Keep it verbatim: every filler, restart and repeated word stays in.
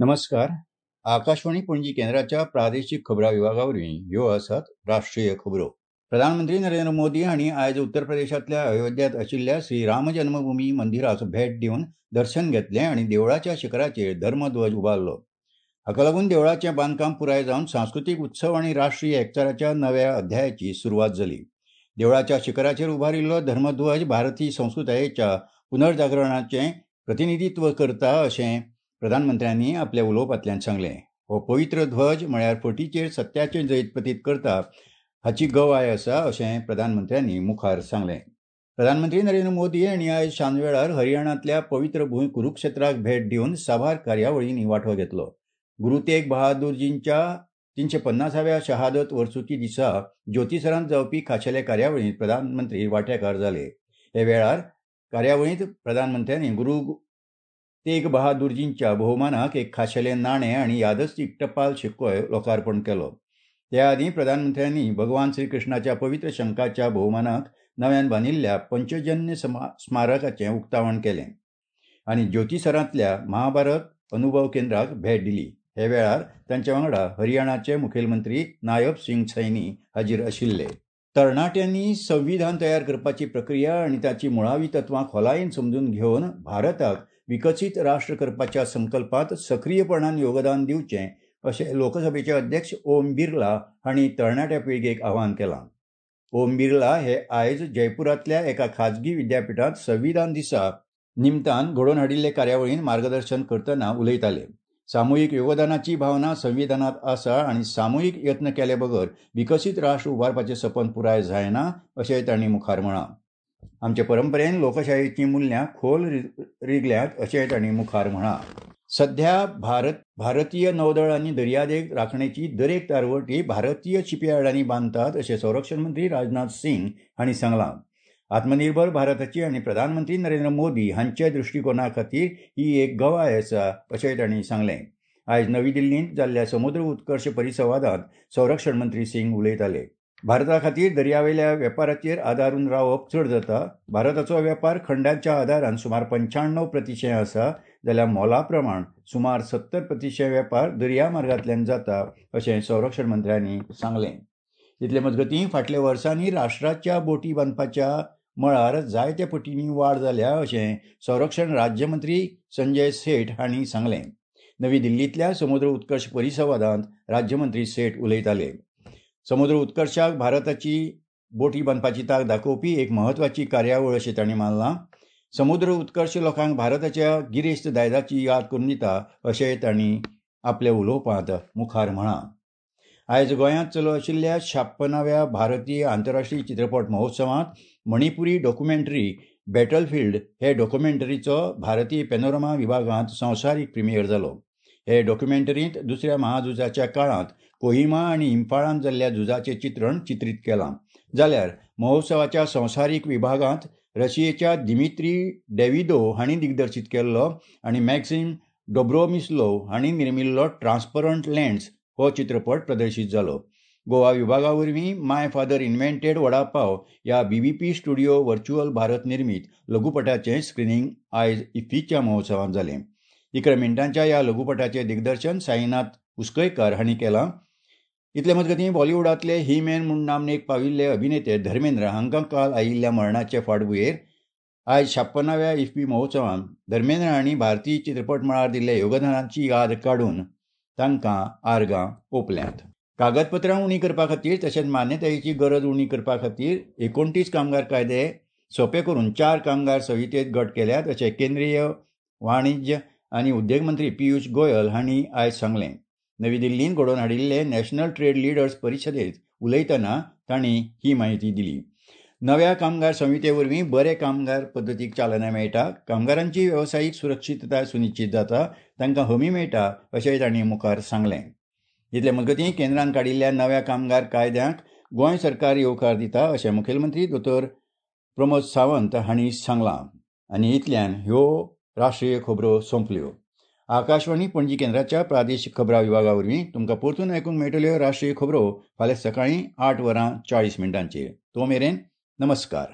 नमस्कार, आकाशवाणी पणजी केंद्राच्या प्रादेशीक खबरां विभागा वरवीं ह्यो आसात राष्ट्रीय खबरो. प्रधानमंत्री नरेंद्र मोदी हांणी आयज उत्तर प्रदेशांतल्या अयोध्यांत आशिल्ल्या श्री राम जन्मभूमी मंदिराक भेट दिवन दर्शन घेतलें आनी देवळाच्या शिखराचेर धर्मध्वज उबारलो. हाका लागून देवळाचें बांदकाम पुराय जावन सांस्कृतीक उत्सव आनी राष्ट्रीय एकचाराच्या नव्या अध्यायाची सुरवात जाली. देवळाच्या शिखराचेर उबारिल्लो धर्मध्वज भारतीय संस्कृतायेच्या पुनर्जागरणाचें प्रतिनिधित्व करता अशें प्रधानमंत्र्यांनी आपल्या उलोवपांतल्यान सांगलें. हो पवित्र ध्वज म्हळ्यार फटीचेर सत्याचें जैत प्रतीत करता हाची गवाय आसा अशें प्रधानमंत्र्यांनी मुखार सांगलें. प्रधानमंत्री नरेंद्र मोदी हांणी आयज सांजवेळार हरियाणांतल्या पवित्र भूंय कुरुक्षेत्राक भेट दिवन साबार कार्यावळींनी वांटो घेतलो. गुरू तेग बहादूरजींच्या तिनशे पन्नासाव्या शहादत वर्सुकी दिसा ज्योतिसरांत जावपी खाशेले कार्यावळींत प्रधानमंत्री वांटेकार जाले. हे वेळार कार्यावळींत प्रधानमंत्र्यांनी गुरू तेग बहादूरजींच्या भोवमानाक एक खाशेलें नाणें आनी यादस्तीक टपाल शिक्कोय लोकार्पण केलो. त्या आदीं प्रधानमंत्र्यांनी भगवान श्रीकृष्णाच्या पवित्र शंखाच्या भोवमानाक नव्यान बांदिल्ल्या पंचजन्य स्मारकाचें उक्तावण केलें आनी ज्योतिसरांतल्या महाभारत अनुभव केंद्राक भेट दिली. हे वेळार तांच्या वांगडा हरियाणाचे मुखेलमंत्री नायब सिंग सैनी हाजीर आशिल्ले. तरणाट्यांनी संविधान तयार करपाची प्रक्रिया आनी ताची मुळावी तत्वां खोलायेन समजून घेवन भारताक विकसीत राष्ट्र करपाच्या संकल्पांत सक्रीयपणान योगदान दिवचें अशें लोकसभेचे अध्यक्ष ओम बिर्ला हांणी तरणाट्या पिळगेक आवाहन केलां. ओम बिर्ला हे आयज जयपुरांतल्या एका खाजगी विद्यापिठांत संविधान दिसा निमतान घडोवन हाडिल्ले कार्यावळींत मार्गदर्शन करतना उलयताले. सामुहीक योगदानाची भावना संविधानांत आसा आनी सामुहीक यत्न केले बगर विकसीत राष्ट्र उबारपाचें सपन पुराय जायना अशें तांणी मुखार म्हळां. आमचे परंपरेन लोकशायेचीं मुल्यां खोल रिगल्यांत अशें तांणी मुखार म्हळां. सध्या भारत भारतीय नौदळ आनी दर्यादेग राखणेची दरेक तारवटी भारतीय शिपयार्डांनी बांदतात अशें संरक्षण मंत्री राजनाथ सिंग हांणी सांगलां. आत्मनिर्भर भारताची आनी प्रधानमंत्री नरेंद्र मोदी हांच्या दृश्टिकोना खातीर ही एक गवाय आसा अशें तांणी सांगलें. आयज नवी दिल्लींत जाल्ल्या समुद्र उत्कर्श परिसंवादांत संरक्षण मंत्री सिंग उलयताले. भारता खातीर दर्यावेल्या वेपाराचेर आदारून रावप चड जाता. भारताचो वेपार खंडाच्या आदारान सुमार पंच्याण्णव प्रतिशें आसा जाल्यार मोला प्रमाण सुमार सत्तर प्रतिशें वेपार दर्या मार्गांतल्यान जाता अशें संरक्षण मंत्र्यांनी सांगलें. इतले मजगतीं फाटल्या वर्सांनी राष्ट्राच्या बोटी बांदपाच्या मळार जायत्या पटींनी वाड जाल्या अशें संरक्षण राज्यमंत्री संजय सेठ हांणी सांगलें. नवी दिल्लींतल्या समुद्र उत्कर्श परिसंवादांत राज्यमंत्री सेठ उलयताले. समुद्र उत्कर्शाक भारताची बोटी बांदपाची तांक दाखोवपी एक म्हत्वाची कार्यावळ अशें तांणी मानलां. समुद्र उत्कर्श लोकांक भारताच्या गिरेस्त दायजाची याद करून दिता अशें तांणी आपल्या उलोवपांत मुखार म्हळां. आयज गोंयांत चालू आशिल्ल्या छाप्पनाव्या भारतीय आंतरराष्ट्रीय चित्रपट महोत्सवांत मणिपुरी डॉक्युमेंटरी बॅटलफिल्ड हे डॉक्युमेंटरीचो भारतीय पॅनोरमा विभागांत संवसारीक प्रिमियर जालो. हे डॉक्युमेंटरींत दुसऱ्या महाझुजाच्या काळांत कोहिमा आनी इम्फाळांत जाल्ल्या झुजाचें चित्रण चित्रीत केलां. जाल्यार महोत्सवाच्या संवसारीक विभागांत रशियेच्या दिमित्री डेव्हिदो हांणी दिग्दर्शीत केल्लो आनी मॅक्सिम डोब्रोमिस्लोव हांणी निर्मिल्लो ट्रान्सपरंट लँड्स हो चित्रपट प्रदर्शीत जालो. गोवा विभागा वरवीं my father invented vada pav ह्या B B P studio virtual Bharat निर्मीत लघुपटाचें स्क्रिनींग आयज इफ्फीच्या महोत्सवांत जालें. इकरा मिनटांच्या ह्या लघुपटाचें दिग्दर्शन साईनाथ उसकयकार हांणी केलां. इतले मजगतीं बॉलिवूडांतले ही मॅन म्हूण नामनेक पाविल्ले अभिनेते धर्मेंद्र हांकां काल आयिल्ल्या मरणाचे फाटभुंयेर आयज छाप्पनाव्या इफ्फी महोत्सवांत धर्मेंद्र हांणी भारतीय चित्रपट मळार दिल्ल्या योगदानाची याद काडून तांकां आर्गां ओंपल्यांत. कागदपत्रां उणी करपा खातीर तशेंच मान्यतायेची गरज उणी करपा खातीर एकोणतीस कामगार कायदे सोंपे करून चार कामगार संहितेत गट केल्यात अशें केंद्रीय वाणिज्य आनी उद्देग मंत्री पियूष गोयल हांणी आयज सांगलें. नवी दिल्लींत घडोवन हाडिल्ले नॅशनल ट्रेड लिडर्स परिशदेंत उलयतना तांणी ही म्हायती दिली. नव्या कामगार संहिते वरवीं बरे कामगार पद्दतीक चालना मेळटा, कामगारांची वेवसायीक सुरक्षितताय सुनिश्चित जाता, तांकां हमी मेळटा अशेंय तांणी मुखार सांगलें. इतले मजगतीं केंद्रान काडिल्ल्या नव्या कामगार कायद्यांक गोंय सरकार येवकार दिता अशें मुखेलमंत्री दोतोर प्रमोद सावंत हांणी सांगलां. आनी इतल्यान ह्यो राष्ट्रीय खबरो सोंपल्यो. आकाशवाणी पणजी केंद्राच्या प्रादेशीक खबरां विभागा वरवीं तुमकां परतून आयकूंक मेळटल्यो राष्ट्रीय खबरो फाल्यां सकाळीं आठ वरां चाळीस मिनटांचेर. तो मेरेन नमस्कार.